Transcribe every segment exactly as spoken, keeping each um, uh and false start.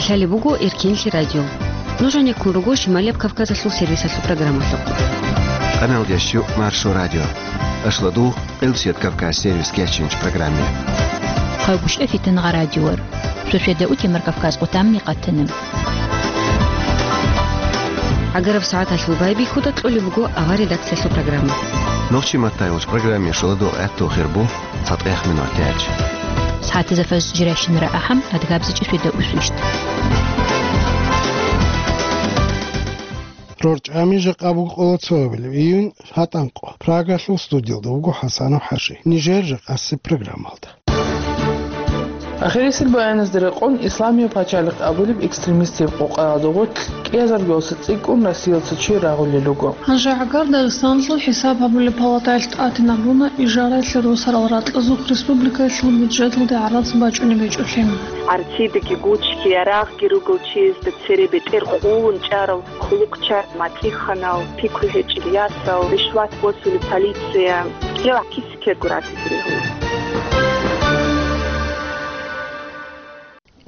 Лъалеб буго Эркенлъи радио. Нуж гьанеккун руго Шималияб Кавказалъул сервисалъул программалъухъ. Къаналдеш жо Маршо радио. Ашладу Къилсият Кавказ сервис кечинч программе. Хъагушев Фитнагъа радиор. Шошеда утемар Кавказ къутамни къатана. Агараб сагӀаталъул байбихьуда кьолеб буго авар редакциялъул программа. Нохчи маттайулч программе шоладо гӀатту хирбу. ЦатӀех минутач. СагӀатазда фажр жирайщинара ахӀам, адгабзичӀи шведа усвищ. РорчӀами жакъа буго къоло цоабилеб июнь, гьатӀанкъо. Прагалъул студиялда вуго ХӀасанов ХӀажи. Нижер жакъасеб программалда. Ахирисел баяназда рекъон, Исламияб пачалихъ абулеб экстремистияб къокъаялда гъорлъ кӀиазарго цӀикӀкӀун Россиялъ цо чи рагъулел руго. Гьанже гӀагар Дагъистаналъул хӀисаб гьабулеб палатаялъ тӀатинаб буна ижараялъе росарал ракьазухъ республикаялъул бюджеталде гӀарац бачӀунеб гьечӀолъи. Арцидаги гучги, ярагъги ругел чиясда цере бетӀер къулун чӀарал хъулухъчагӀи, матӀиханал, пикру гьечӀел ясал, ришват босулеб полиция, кӀел гӀакиси ккего ратизе регьула.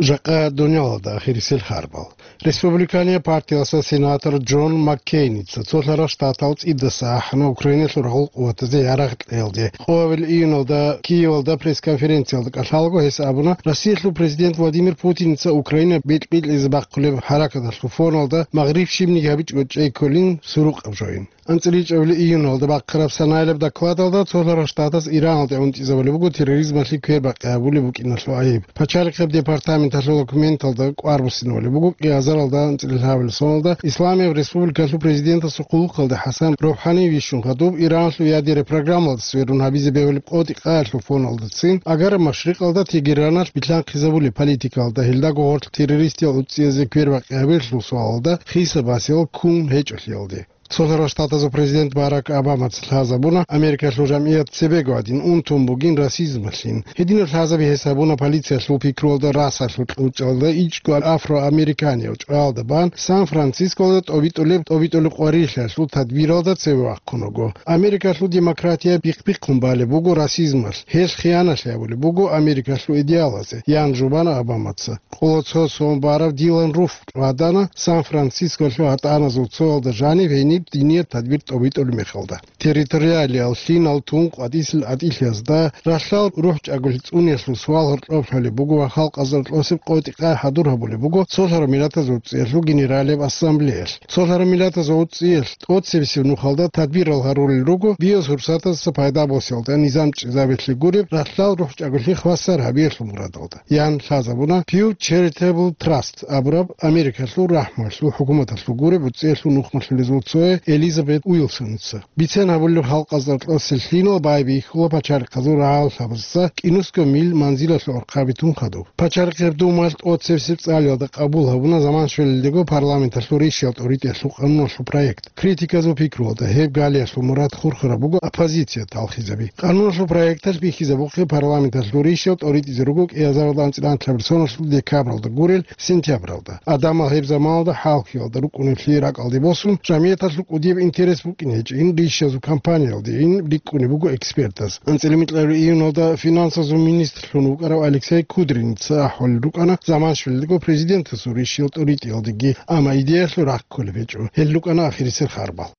Жакъа дуниялалда ахирисел харбал. Республиканияб партиялъа сенатор Джон Маккейница цолъарал штатал цӀидасан ахӀана Украиналъул рагъул къуватазе ярагъ кьеялде. Къоабил июналда Киевалда пресс-конференциялда кӀалъалаго гьес абуна, Россиялъул президент Владимир Путиница Украина бикь-бикьизе бахъулеб хӀаракаталъул фоналда магъриб щибниги гьабичӀого чӀей кколин сурукъаб жоин. АнцӀила ичӀабилеб июналда бахъараб санаялаб докладалда цолъарал штатас Ираналде унтӀизабулеб буго терроризмалъе квербакъи гьабулеб букӀиналъул гӀайиб. Пачалихъеб департаменталъул документалда кӀвар буссинабулеб буго кӀиазаралда анцӀила лъабабилеб соналда Исламияб республикалъул президентасул хъулухъалде ХӀасан РухӀани вищун хадуб Ираналъул ядераб программалда сверун гьабизе бегьулеб къотӀи-къаялъул фоналдацин Агараб Машрикъалда Тегераналъ билълъанхъизабулеб политикалда гьелдаго гъорлъ террористиял уцӀцӀиязде квербакъи гьабилелъул суалалда хисаб-гьасиял ккун гьечӀолъиялде. Цолъарал Штатазул президент Барак Обамаца лъазабуна, Америкалъул жамгӀият цебего гьадин унтун бугин расизмалъин. Гьединаб лъазаби гьес гьабуна полициялъул пикруялда расалъул кьучӀалда ичӀго афроамериканияв чӀваялда бан Сан-Францискоялда тӀобитӀулеб, тӀобитӀулеб къварилъиялъул тадбиралда цеве вахъун вуго. Америкалъул демократия бихъ-бихъун балеб буго расизмалъ, гьелъ хияналъи гьабулеб буго Америкалъул идеалазе, ян жубана Обамаца. Къоло цо сон барав Дилан Руф ватана Сан-Францисколъул гьатӀаназул цоялда жанив гьениб динияб тадбир тӀобитӀулеб мехалда. Территориалиял лъимал тун къватӀисел гӀатӀилъиязда ралъдал рухӀчӀаголъи цӀуниялъул суал гьоркьоб лъолеб буго ва халкъазул рокьосеб къотӀи-къай хӀадур гьабулеб буго Цолъарал Миллатазул УцӀиялъул Генералияб Ассамблеялъ. Цолъарал Миллатазул УцӀиялъ тӀоцебесеб нухалда тадбирал гьарулел руго биос гьурсатасда пайда босиялда, низам чӀезабиялъе гуреб ралъдал рухӀчӀаголъи хвасар гьабиялъул мурадалда. Ян лъазабуна Pew Charitable Trust абураб Америкалъул рахӀмуялъул хӀукуматалъул гуреб уцӀиялъул нухмалъулезул цое Элизабет Уилсоница. Бицен гьабулеб халкъазда рокьосел лъимал байбихьула пачалихъазул рагӀаллъабазда кӀинусго мил манзилалъул архъаби тун хадуб. Пачалихъеб Думаялъ тӀоцебесеб цӀалиялда къабул гьабуна заман щвелелдего парламенталъул ришиял тӀоритӀиялъул къануналъул проект. Критиказул пикруялда гьеб галиялъул мурад хурхараб буго оппозиция талхизаби. Къануналъул проекталъ бихьизабухъе парламенталъул ришиял тӀоритӀизе руго кӀиазаралда анцӀила анлъабилеб соналъул декабралда гурел сентябралда. Адамал гьеб заманалда хӀалхьиялда рукӀунеблъи ракӀалде босун, жамигӀаталъул кӀудияб интерес букӀине гьечӀин ришиязул кампаниялдейин рикӀкӀунеб буго экспертаз. АнцӀила микьабилеб июналда финансазул министрлъун вукӀарав Алексей Кудриница ахӀулел рукӀана заман щвелелдего президентасул ришиял тӀоритӀиялдеги, амма идеялъул рахъ кколеб гьечӀо. Гьел рукӀана ахирисел харбал.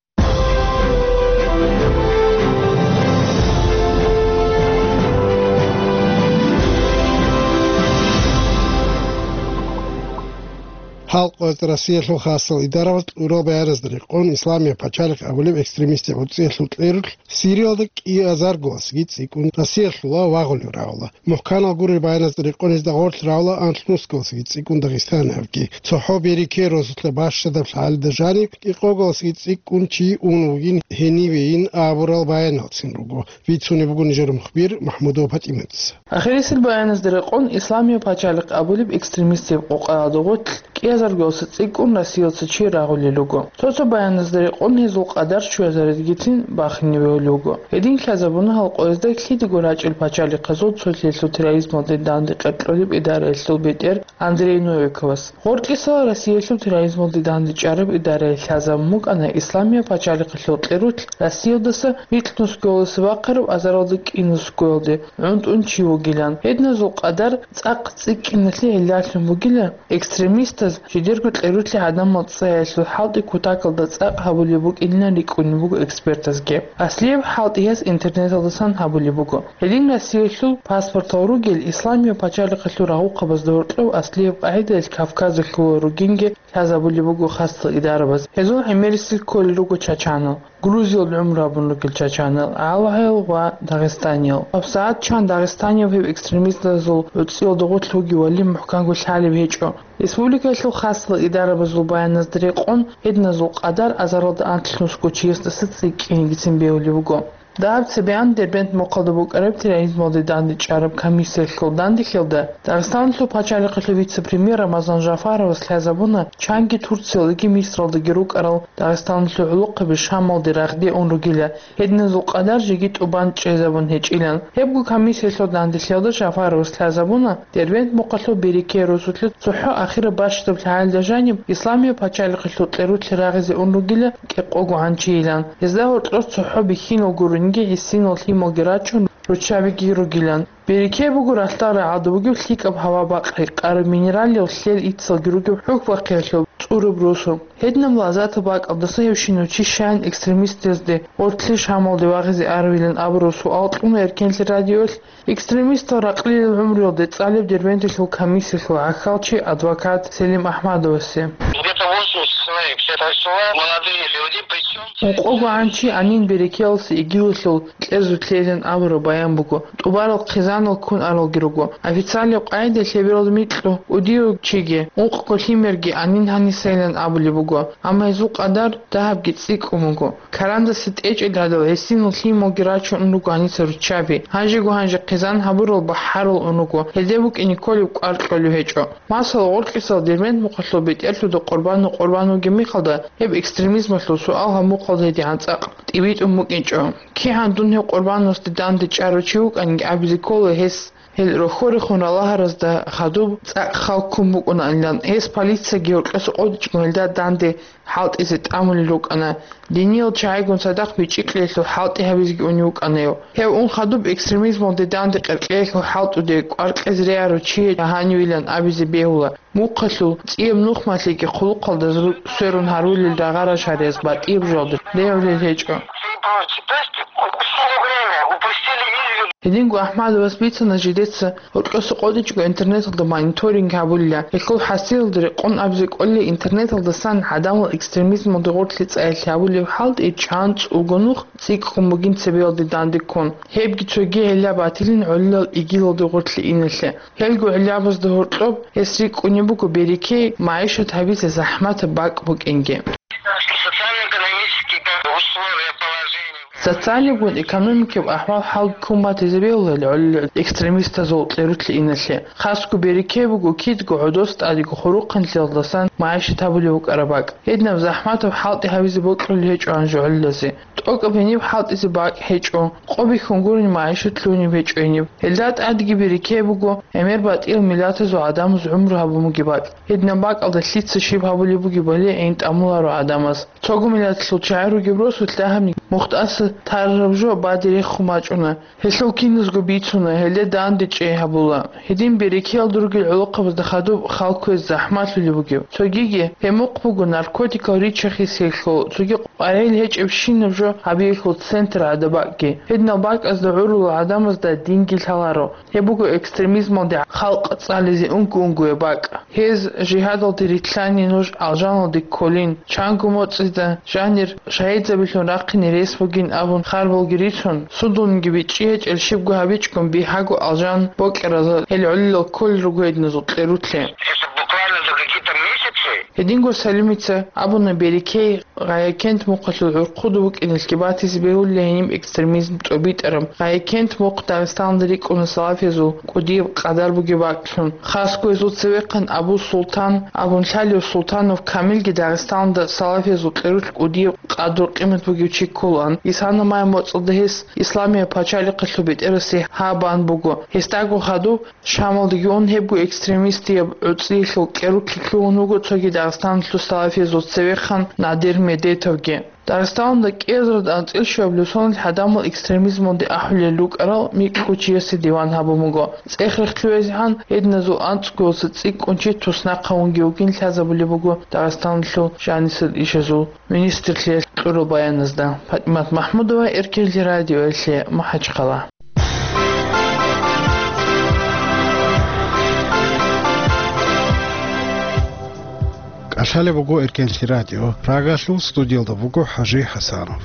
Халкъ ва Россиялъул хасал идарабаз кьурал баяназда рекъон, Исламияб пачалихъ абулеб экстремистияб уцӀиялъул кьерулъ Сириялда кӀиазарго васги цӀикӀкӀун Россиялъула вагъулев равла. МухӀканал гурел баяназда рекъон гьезда гъорлъ равла анлънусго васги цӀикӀкӀун Дагъистаналъ абги. ЦохӀо берике росулъа бащадаб лъалда жаниб кӀикъого васги цӀикӀкӀун чи ун вугин гьенивейин абурал баяналцин руго, бицунеб буго нижер мухбир МахӀмудова ПатӀиматица. Ахирисел баяназда рекъон, Исламияб пачалихъ абулеб экстремистияб къокъаялда гъорлъ кӀиазарго Заргоса цӀикӀкӀун Россиялдаса чи рагъулел руго. Цо-цо баяназда рекъон гьезул къадар щуязаридгицин бахине бегьулел руго. Гьедин лъазабуна гьал къоязда лъидаго рачӀел пачалихъазул цолъиялъул терроризмалде данде къеркьулеб идараялъул бетӀер Андрей Новиковас. Гъоркьисал Россиялъул терроризмалде данде чӀараб идарае лъазабун букӀана Исламияб пачалихъалъул кьерулъ Россиялдаса микьнусгоялдаса вахъараб азаралда кӀинусгоялде гӀунтӀун чи вугилан. Гьединазул къадар цӀакъ цӀикӀкӀиналъе гӀиллалъун бугила, экстремистаз жидерго кьерулъе гӀадамал цӀаялъул хӀалтӀи кутакалда цӀакъ гьабулеб букӀинилан рикӀкӀунеб буго экспертазги. Аслияб хӀалтӀи гьес интернеталдасан гьабулеб буго. Гьедин Россиялъул паспортал ругел Исламияб пачалихъалъул рагъухъабазда гьоркьоб аслияб къагӀидаялъ Кавказалъула ругинги лъазабулеб буго хасал идарабаз. Гьезул гӀемерисел кколел руго чачанал. Грузиялда гӀумру гьабун ругел чачанал, гӀалгьаял ва дагъистаниял. ГьабсагӀат чан дагъистанияв гьеб экстремистазул гӀуцӀиялда гъорлъ вугевали мухӀканго лъалеб гьечӀо. Республикаялъул хасал идарабазул баяназда рекъон, гьединазул къадар азаралда анлънусго чиясдаса цӀикӀкӀинигицин бегьулеб буго. Дагьаб цебегӀан Дербент мухъалда букӀараб терроризмалде данде чӀараб комиссиялъул данделъиялда Дагъистаналъул пачалихъалъул вице-премьер Рамазан Жафаровас лъазабуна чанги Турциялдаги Мисралдаги рукӀарал Дагъистаналъул гӀолохъаби Шамалде рагъде ун ругила, гьединазул къадар жеги тӀубан чӀезабун гьечӀилан. Гьебго комиссиялъул данделъиялда Жафаровас лъазабуна, Дербент мухъалъул Берекея росулъе цохӀо ахираб бащдаб лъагӀалда жаниб Исламияб пачалихъалъул кьерулъе рагъизе ун ругила кӀикъого гӀанчийилан. Гьезда гьоркьор цохӀо бихьинал гурунги гӀисинал лъималги рачун, руччабиги ругилан. Берекея буго ралъдал рагӀалда бугеб лъикӀаб гьава-бакъ гьекъараб, минералил лъел иццалги ругеб хӀухьбахъиялъул цӀураб росу. Гьединаб лагъзатаб бакӀалдаса гьев щинав чи щайин экстремистазде гъорлъе Шамалде вагъизе аравилан абураб суал кьуна Эркенлъи радиоялъ экстремистал ракълилел гӀумруялде цӀалеб Дербенталъул комиссиялъул гӀахьалчи, адвокат Селим Ахмадовасе. Где-то восемьдесят человек, все это села, молодые люди, причём... Ункъого гӀанчи Амин Берекеялъе ИГИЛалъул кьезулъейилан абураб баян буго, тӀубарал хъизанал ккун аралги руго. Официалияб къагӀидаялъ гьеб рал микьго кӀудияв чиги, ункъго лъимерги Амин гьанисайилан абулеб буго, амма гьезул къадар дагьабги цӀикӀкӀун буго. Карандасе тӀечӀел гьадал гӀисинал лъималги рачун ун руго гьаниса руччаби. Гьанжего-гьанже хъизан гьабурал бахӀарал ун руго, гьелде букӀине кколеб кӀвар кьолев гьечӀо. Масала, гъоркьисал Дербент мухъалъул бетӀерлъуда къурбану къурбан вугеб мехалда, гьеб экстремизмалъул суал гьаб мухъалда гьедигӀан цӀакъ тӀибитӀун букӀинчӀо. КигӀан дун гьев къурбанасде данде чӀарав чи вукӀанги абизе ккола гьес, гьел рохьорехун ралагьаразда хадуб цӀакъ хал ккун букӀунаанилан, гьес полицияги гьоркьоса къотӀичӀого гьелда данде хӀалтӀизе тӀамулел рукӀана, диниял чагӀигун цадахъ бичӀчӀи кьеялъул хӀалтӀи гьабизеги унев вукӀана гьев. Гьев ун хадуб экстремизмалде данде къеркьеялъул хӀалтӀуде кӀвар кьезе регӀарав чи гьанивилан абизе бегьула. Мухъалъул цӀияб нухмалъиги хъулухъалда зу-, сверун гьарулел рагъа-рашариялъ батӀияб жоялда регӀулел гьечӀо. Гьединго Ахмадовас бицана жидеца, гьоркьоса къотӀичӀого интернеталда мониторинг гьабулила. Гьелъул хӀасилалда рекъон абизе кӀолей, интернеталдасан гӀадамал экстремизмалде гъорлъе цӀаялъе гьабулеб хӀалтӀи чан цӀулго нух цӀикӀкӀун бугин цебеялде данде ккун. Гьебги цоги гӀилла батилин гӀолилал ИГИЛалде гъорлъе иналъе. Гьелго гӀиллабазда гьоркьоб гьес рикӀкӀунеб буго Берекей магӀишат гьабизе захӀматаб бакӀ букӀинги. Социально-экономические условия, положение. Социалигун экономикаб ахӀвал хӀал ккун батизе бегьулел гӀолилал экстремистазул кьерулъе иналъе. Хасго Берекей буго кидго гӀодос тӀадего хурухъанлъиялдасан магӀишат гьабулев вукӀараб бакӀ. Гьединаб захӀматаб хӀалтӀи гьабизе бокьулел гьечӀо гьанже гӀолилазе. ТӀокӀаб гьениб хӀалтӀизе бакӀ гьечӀо, къо бихьун гурони магӀишат лъунеб гьечӀо гьениб. Гьелда тӀадги Берекей буго гӀемер батӀиял миллатазул гӀадамаз гӀумру гьабун бугеб бакӀ. Гьединаб бакӀалда лъица щиб гьабулеб бугебали гӀин тӀамуларо гӀадамаз. Цого миллатлъул чагӀи ругеб росулъ дагьабни мухтӀаса тарраб жо баде рехун бачӀуна. Гьелъул киназго бицуна, гьелде данде чӀей гьабула. Гьедин Берекеялда ругел гӀолохъабазда хадуб хал кквезе захӀмалъулеб бугеб. Цогиги, гьеб мухъ буго наркотикал риччахиялъул, цоги къваригӀел гьечӀебщинаб жо гьабиялъул центр гӀадаб бакӀги. Гьединал бакӀазда гӀурулал гӀадамазда динги лъаларо. Гьеб буго экстремизмалде халкъ цӀализе унго-унгояб бакӀ. Гьез жигьадалде рилълъани нуж алжаналде кколин, чанго моцӀида жанир шагьидзабилъун рахъине рес бугин абун харбалги рицун, судулниги бичӀчӀи гьечӀел щибго гьабичӀгун бигьаго алжан бокьаразда гьел гӀолилал кколел руго гьединазул кьерулъе. Это буквально за какие-то месяцы. Гьединго Салимица абуна, Берекей, Гъаякент мухъалъул гӀурхъуда букӀиналъги батизе бегьулила гьениб экстремизм тӀобитӀараб. Гъаякент мухъ Дагъистаналда рикӀкӀуна салафиязул кӀудияб къадар бугеб бакӀлъун. Хасго гьезул цевехъан Абу Султан абун лъалев Султанов Камилги Дагъистаналда салафиязул кьерулъ кӀудияб къадру-къимат бугев чи кколаан. Исана май моцӀалда гьес Исламияб пачалихъалъул бетӀерасе гьаб бан буго. Гьесдаго хадуб Шамалдеги ун гьебго экстремистияб гӀуцӀиялъул кӀерулъ лъугьун вуго цоги Дагъистаналъул салафиязул цевехъан Надир Медетовги. Дагъистаналда кӀиазарда анцӀила щуабилеб соналъ гӀадамал экстремизмалде ахӀулел рукӀарал микьго чиясе диван гьабун буго. ЦӀех-рехтӀлъуязегӀан гьединазул анцӀгоялдаса цӀикӀкӀун чи туснахъ гьавунги вугин лъазабулеб буго Дагъистаналъул жанисел ишазул министрлъиялъ кьураб баяназда. ПатӀимат МахӀмудова, Эркенлъи радиоялъе, МахӀачхъала. КӀалъалеб буго Эркенлъи радио. Прагалъул студиялда буго ХӀажи ХӀасанов.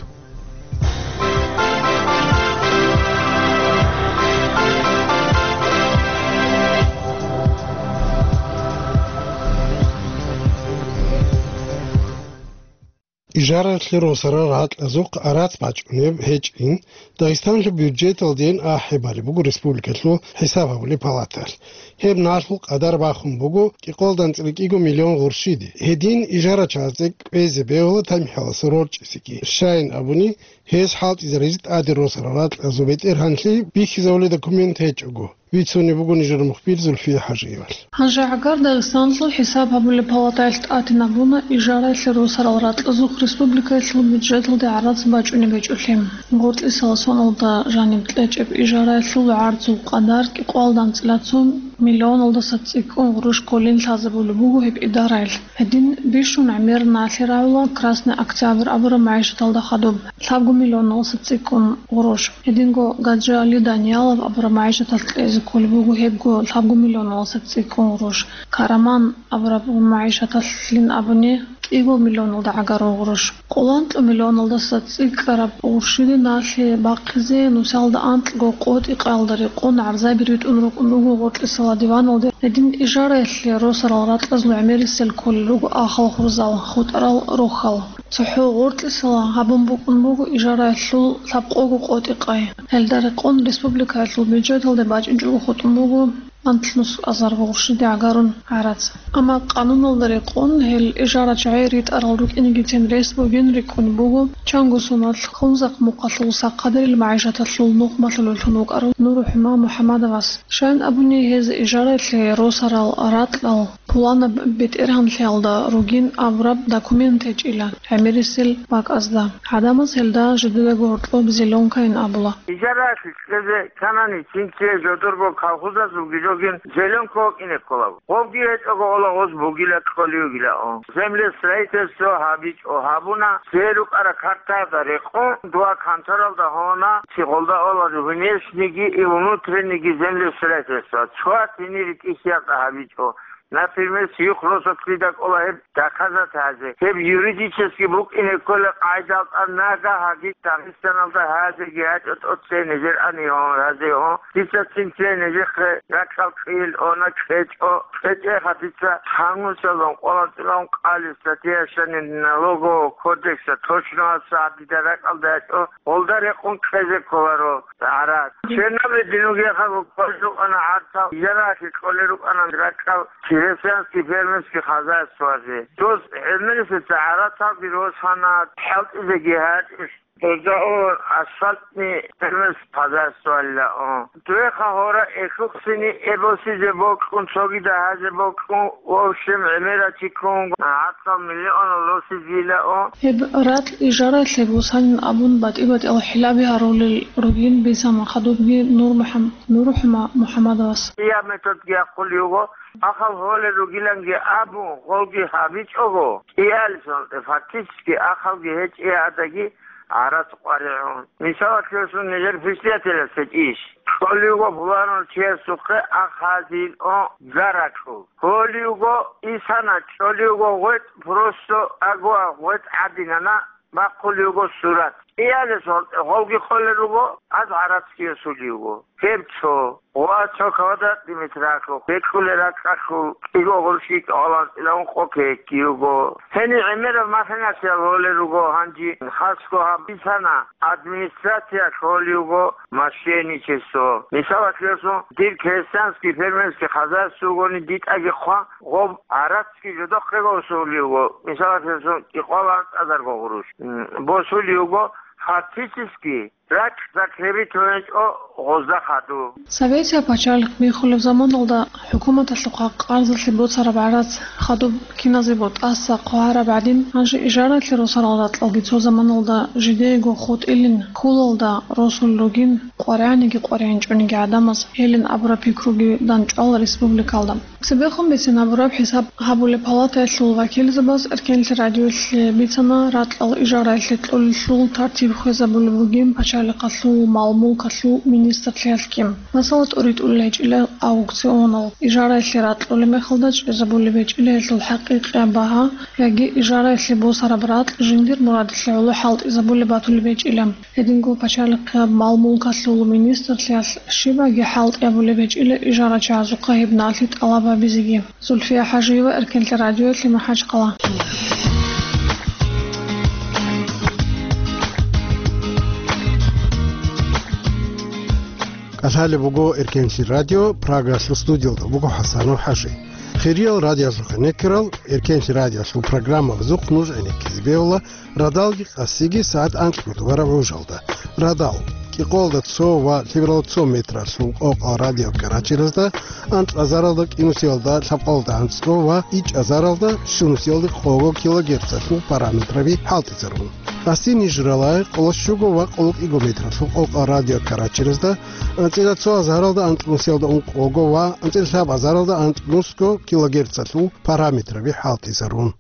Ижараялъе росарал ракьазухъ арац бачӀунеб гьечӀин, Дагъистанлъул бюджеталдейин ахӀи балеб буго республикалъул хӀисаб гьабулеб палаталъ. Гьеб налъул къадар бахун буго кӀикъоялда анцӀила кӀиго миллион гъурщиде. Гьедин ижарачазе кӀвезе бегьула тамихӀаласа рорчӀисеги. Щайин абуни, гьес хӀалтӀизаризе тӀаде росарал ракьазул бетӀергьанлъи бихьизабулеб документ гьечӀого. Бицунеб буго нижер мухбир Зульфия ХӀажиевалъ. Гьанже гӀагар Дагъистаналъул хӀисаб гьабулеб палатаялъ тӀатинабуна ижараялъе росарал ракьазухъ республикаялъул бюджеталде гӀарац бачӀунеб гьечӀолъи. Гъоркьисала соналда жаниб кьечӀеб ижараялъул гӀарцул къадар кӀикъоялда анцӀила цо миллионалдаса цӀикӀкӀун гъурущ кколин лъазабулеб буго гьеб идараялъ. Гьедин бищун гӀемер налъи рагӀула Красный Октябрь абураб магӀишаталда хадуб, лъабго миллионалдаса цӀикӀкӀун гъурущ. Гьединго Гаджиали Даниялов абураб магӀишаталъ кьезе кколеб буго гьебго лъабго миллионалдаса цӀикӀкӀун гъурущ. Караман абураб магӀишаталъилин абуни, кӀиго миллионалда гӀагарун гъурущ. Къоло анкьа миллионалдаса цӀикӀкӀараб гъурщиде налъи бахъизе нусалда анкьго къотӀи-къаялда рекъон гӀарзаби ритӀун рукӀун руго гъоркьисала диваналде. Гьедин ижараялъе росарал ракьазул гӀемерисел кколел руго ахал хурзал, хутӀарал рохьал. ЦохӀо гъоркьисала гьабун букӀун буго ижараялъул лъабкъого къотӀи-къай. Гьелда рекъон республикаялъул бюджеталде бачӀинчӀого хутӀун буго анлънус азар гъурщиде гӀагарун гӀарац. Амма къануналда рекъон гьел ижарачагӀи ритӀарал рукӀинегицин рес бугин рикӀкӀун буго чанго соналъ Хунзахъ мухъалъул сахъадерил магӀишаталъул нухмалъулевлъун вукӀарав НурухӀума МухӀамадовас. Щайин абуни, гьез ижараялъе росарал ракьал пуланаб бетӀергьанлъиялда ругин абураб документ гьечӀила гӀемерисел бакӀазда. ГӀадамаз гьелда жидедаго гьоркьоб зеленкайин абула. Ижараялъе кьезе кканани, цинцие жодорго колхозазулги жогин зеленка вокьине ккола. Гъобги гьечӀого ола гъоз бугила кьолевгила. Землестроительство гьабичӀо гьабуна, цее рукӀара картаялда рекъон, дуа конторалда гьона, цигъолда ола внешнийги и внутреннийги землестроительство. Цояс гьенир ритӀихьиялда гьабичӀо. Например, сиюх росулъ кида кӀола гьеб доказать гьазе. Гьеб юридически букӀине ккола къайдал тӀад нагагь гьаги Дагъистаналда гьазеги гьачӀо тӀоцей нижер ани гьон, гьазе гьон. Дица цинцей нижехъе ракьал кьил, она кьечӀо, кьечӀеха дица гьанусалун къвалатӀилан къали статья щани налогового кодекса точно гьабса дида ракьалда гьачӀо, гъолда рекъон кьезе кколаро гӀарат. Чернобыль динугехъа гуккӀолел рукӀана гӀарцал, ярахъе кьолел рукӀана ракьал крестьянский фермерский хозяйствозе. Дос гӀемерисеца гӀарацалги росана, хӀалтӀизеги гьачӀищ. Гьезда о асфальтный фермерский хозяйствоялила о. Дуеха гьора эхухсини эбосизе бокьун, цогида гьазе бокьун, в общем, гӀемерачи ккун, гӀарцал миллионал росизила о. Гьеб ракь ижаралъе бусанин абун батӀи-батӀиял хӀилаби гьарулел ругин бицана хадубги Нур МухӀам-, НурухӀума МухӀамадовас. Я методги ахъулев вуго, ахал гьолел ругиланги абун, гъолги гьабичӀого, кӀиялъул, фактически ахалги гьечӀеядаги гӀарац къваригӀун. Мисалалъе, нижер председателас гьечӀищ. Кьолевго пуланав чиясухъе ахазил о гаракьул. Кьолевго исана, кьолевго гъветӀ просто агуа гъветӀ гӀадинана, бахъулевго сурат. Иялъул гъовги къолел руго, аз гӀарацги йосулев вуго. Гьеб цо, ва цо квадратный метралъухъ бекьулел ракьалъул кӀиго гъурущи кӀикъоялда анцӀила ункъо кекги руго. Гьениб гӀемераб махиналъ гьолел руго гьанже, хасго гьаб бицана, администрациялъ гьолев вуго мошенничество. Мисалалъе, дир крестьянский фермерский хозяйство ругони, дитӀаги хъван, гъоб гӀарацги жодохъего босулев вуго, мисалалъе, кӀикъоялда анцӀазарго гъурущ. М, босулев вуго, фактически ракь закрепить гьечӀо гъозда хадуб. Советияб пачалихъ биххулеб заманалда хӀукуматалъухъа къарзалъе боцараб гӀарац хадуб киназего тӀаса хъвараб гӀадин, гьанже ижараялъе росарал ракьалги цо заманалда жидеего хутӀилин, хьулалда росулел ругин, къваригӀаниги къваригӀинчӀониги гӀадамаз гьелин абураб пикруги дандчӀвала республикалда. Цебехун бицин гьабураб хӀисаб гьабулеб палатаялъул вакилзабаз Эркенлъи радиоялъе бицана ракьал ижараялъе кьолелъул тартиб хвезабулеб бугин пачалихъалъул мал-мулкалъул министрлъиялъги. Масала, тӀуритӀулел гьечӀила аукционал, ижараялъе ракь кьолеб мехалда чӀезабулеб гьечӀила гьелъул хӀакъикъияб багьа, яги ижараялъе босараб ракь жиндир мурадалъе гӀоло хӀалтӀизабулеб батулеб гьечӀила. Гьединго пачалихъияб мал-мулкалъул министрлъиялъ щибаги хӀалтӀи гьабулеб гьечӀила ижарачагӀазухъа гьеб налъи тӀалаб гьабизеги. Зульфия ХӀажиева, Эркенлъи радиоялъе, МахӀачхъала. КӀалъалеб буго Эркенлъи радио, Прагаялъул студиялда буго ХӀасанов ХӀажи. Хириял радиоялъухъе некерал, Эркенлъи радиоялъул программабазухъ нуж гӀенеккизе бегьула радалги къасиги сагӀат анкьго тӀубараб гӀужалда. Радал, кӀикъоялда цо ва лъебералда цо метралъул къокъал радиокаратеразда, анкьазаралда кӀинусиялда лъабкъоялда анцӀго ва ичӀазаралда щунусиялда къого килогерцалъул параметраби хӀалтӀизарун. Къаси ниж рала къоло щуго ва къоло кӀиго метралъул къокъал радиокаратеразда, анцӀила цо азаралда анцӀнусиялда ункъого ва анцӀила лъаб азаралда анцӀнусго килогерцалъул параметраби хӀалтӀизарун.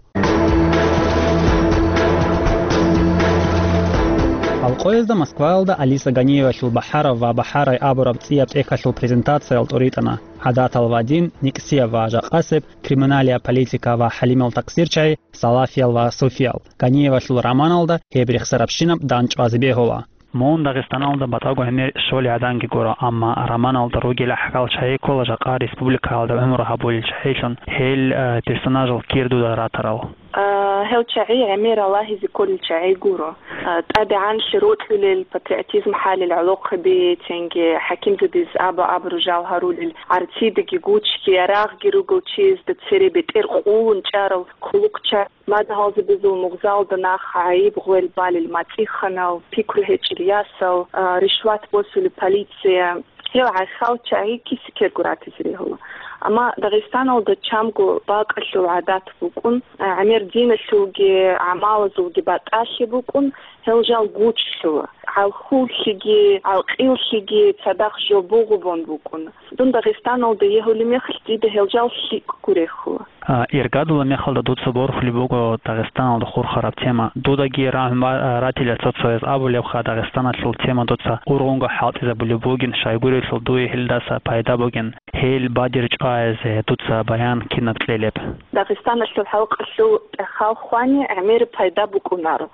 Алкъоязда Москваялда Алиса Ганиевалъул БахӀарав ва БахӀарай абураб цӀияб тӀехьалъул презентациял тӀуритӀана. ГӀадатал ва дин, никӀсияб ва жакъасеб, криминалияб политика ва хӀалимал такъсирчагӀи, салафиял ва суфиял. Ганиевалъул романалда гьеб рехсарабщинаб дандчӀвазе бегьула. Мун Дагъистаналда батӀаго гӀемер щолей гӀаданги гуро, амма романалда ругел гӀахьалчагӀи ккола жакъа республикаялда гӀумру гьабулел чагӀилъун, гьел, э, персонажал кир дуда ратарал. А, гьел чагӀи гӀемер рагьизе кколел чагӀи гуро. А, тӀадегӀанлъи рокьулел, патриотизм хӀалел гӀолохъаби, цинги хӀакимзабаз аба-абру жал гьарулел, гӀарцидаги гучги, ярагъги ругел чиясда цере бетӀер къулун чӀарал хъулухъчагӀи. Мадугьалзабазул мугъзалда нах гӀайиб гъвел балел мацӀиханал, пикру гьечӀел ясал, а, ришват босулеб полиция. Гьел гӀахьал чагӀи киса-ккерго ратизе регьула. Амма Дагъистаналда чамго бакӀалъул гӀадат букӀун, а, гӀемер диналъулги гӀамалазулги батӀалъи букӀун, гьел жал гучлъула. ГӀалхуллъиги, гӀалкъиллъиги цадахъ жо бугъубун букӀун. Дун Дагъистаналда егьулеб мехалъ дида гьел жал лъикӀго рехула. А, иргадулаб мехалда дуца борхулеб буго Дагъистаналда хурхараб тема. Дудаги рагӀун ба-, а, ратила цо-цояз абулебха, Дагъистаналъул тема дуца ургъунго хӀалтӀизабулеб бугин, щайгурелъул дуе гьелдаса пайда бугин. Гьел бадир чӀвазе дуца баян кинаб кьелеб? Дагъистаналъул халкъалъул тӀахьал хвани гӀемер пайда букӀунаро.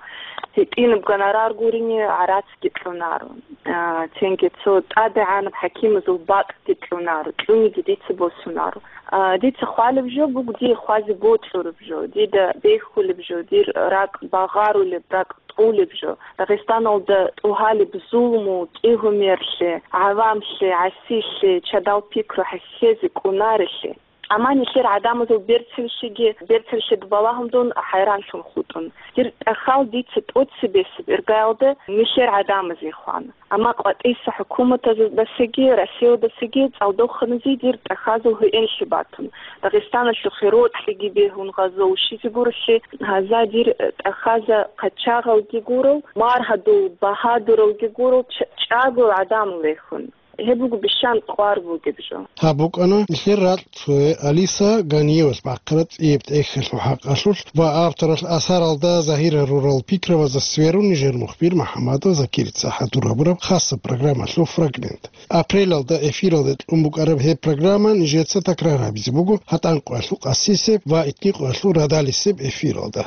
ГьитӀинаб гонорар гурине гӀарацги кьунаро. А, цинги цо тӀадегӀанаб хӀакимазул бакӀги кьунаро, кьуниги дица босунаро. А, дица хвалеб жо буго дие хвазе бокьураб жо, дида бехулеб жо, дир ракӀ багъарулеб, ракӀ тӀулеб жо. Дагъистаналда тӀугьалеб зулму, кӀигьумерлъи, гӀавамлъи, гӀасилъи, чадал пикру хӀехьезе кӀунарелъи. Амма нилъер гӀадамазул берцинлъиги, берцинлъида балагьун дун хӀайранлъун хутӀун. Дир тӀахьал дица тӀоцебесеб иргаялда нилъер гӀадамазе хвана. Амма къватӀиса хӀукуматаздасаги, Россиядасаги цӀалдоханазе дир тӀахьазул гьуинлъи батун. Дагъистаналъухъе рокьиги бегьун гъазо щизе гурелъи, гьаза дир тӀахьаза къачагъалги гурал, маргьадул багьадуралги гурал, ч-, чӀагоял гӀадамал рехун. Гьеб буго бищан кьвар бугеб жо. Гьаб букӀана нилъер ракь цое Алиса Ганиевалъ бахъараб цӀияб тӀехьалъул хӀакъалъулъ ва авторалъ асаралда загьир гьарурал пикрабазда сверун нижер мухбир МухӀамадов Закирица хӀадур гьабураб хасаб программалъул фрагмент. Апрелалда эфиралде кьун букӀараб гьеб программа нижеца такрар гьабизе буго гьатӀан къоялъул къасисеб ва итни къоялъул радалисеб эфиралда.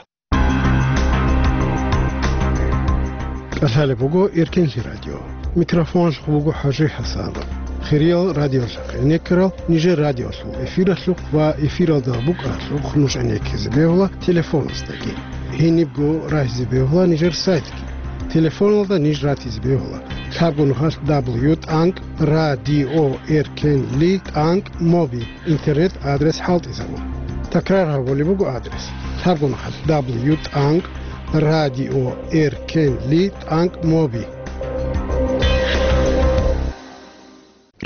КӀалъалеб буго Эркенлъи радио. Микрофоналъухъ буго ХӀажи ХӀасанов. Хириял радиолъахъ гӀенеккарал нижер радиолъул эфиралъухъ ва эфиралда букӀаралъухъ нуж гӀенеккизе бегьула телефоназдаги. Гьенибго рагьизе бегьула нижер сайтги. Телефоналда ниж ратизе бегьула: лъабго нухалъ дабл ю тӀанкӀ радио эркенли тӀанкӀ моби интернет адрес хӀалтӀизабун. Такрар гьабулеб буго адрес: лъабго нухалъ дабл ю тӀанкӀ радио эркенли тӀанкӀ моби.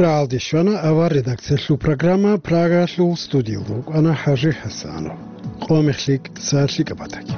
Рагьалде щвана авар редакциялъул программа, Прагалъул студиялда вукӀана ХӀажи ХӀасанов. Къо мехлъи, са лъикӀаб батаги.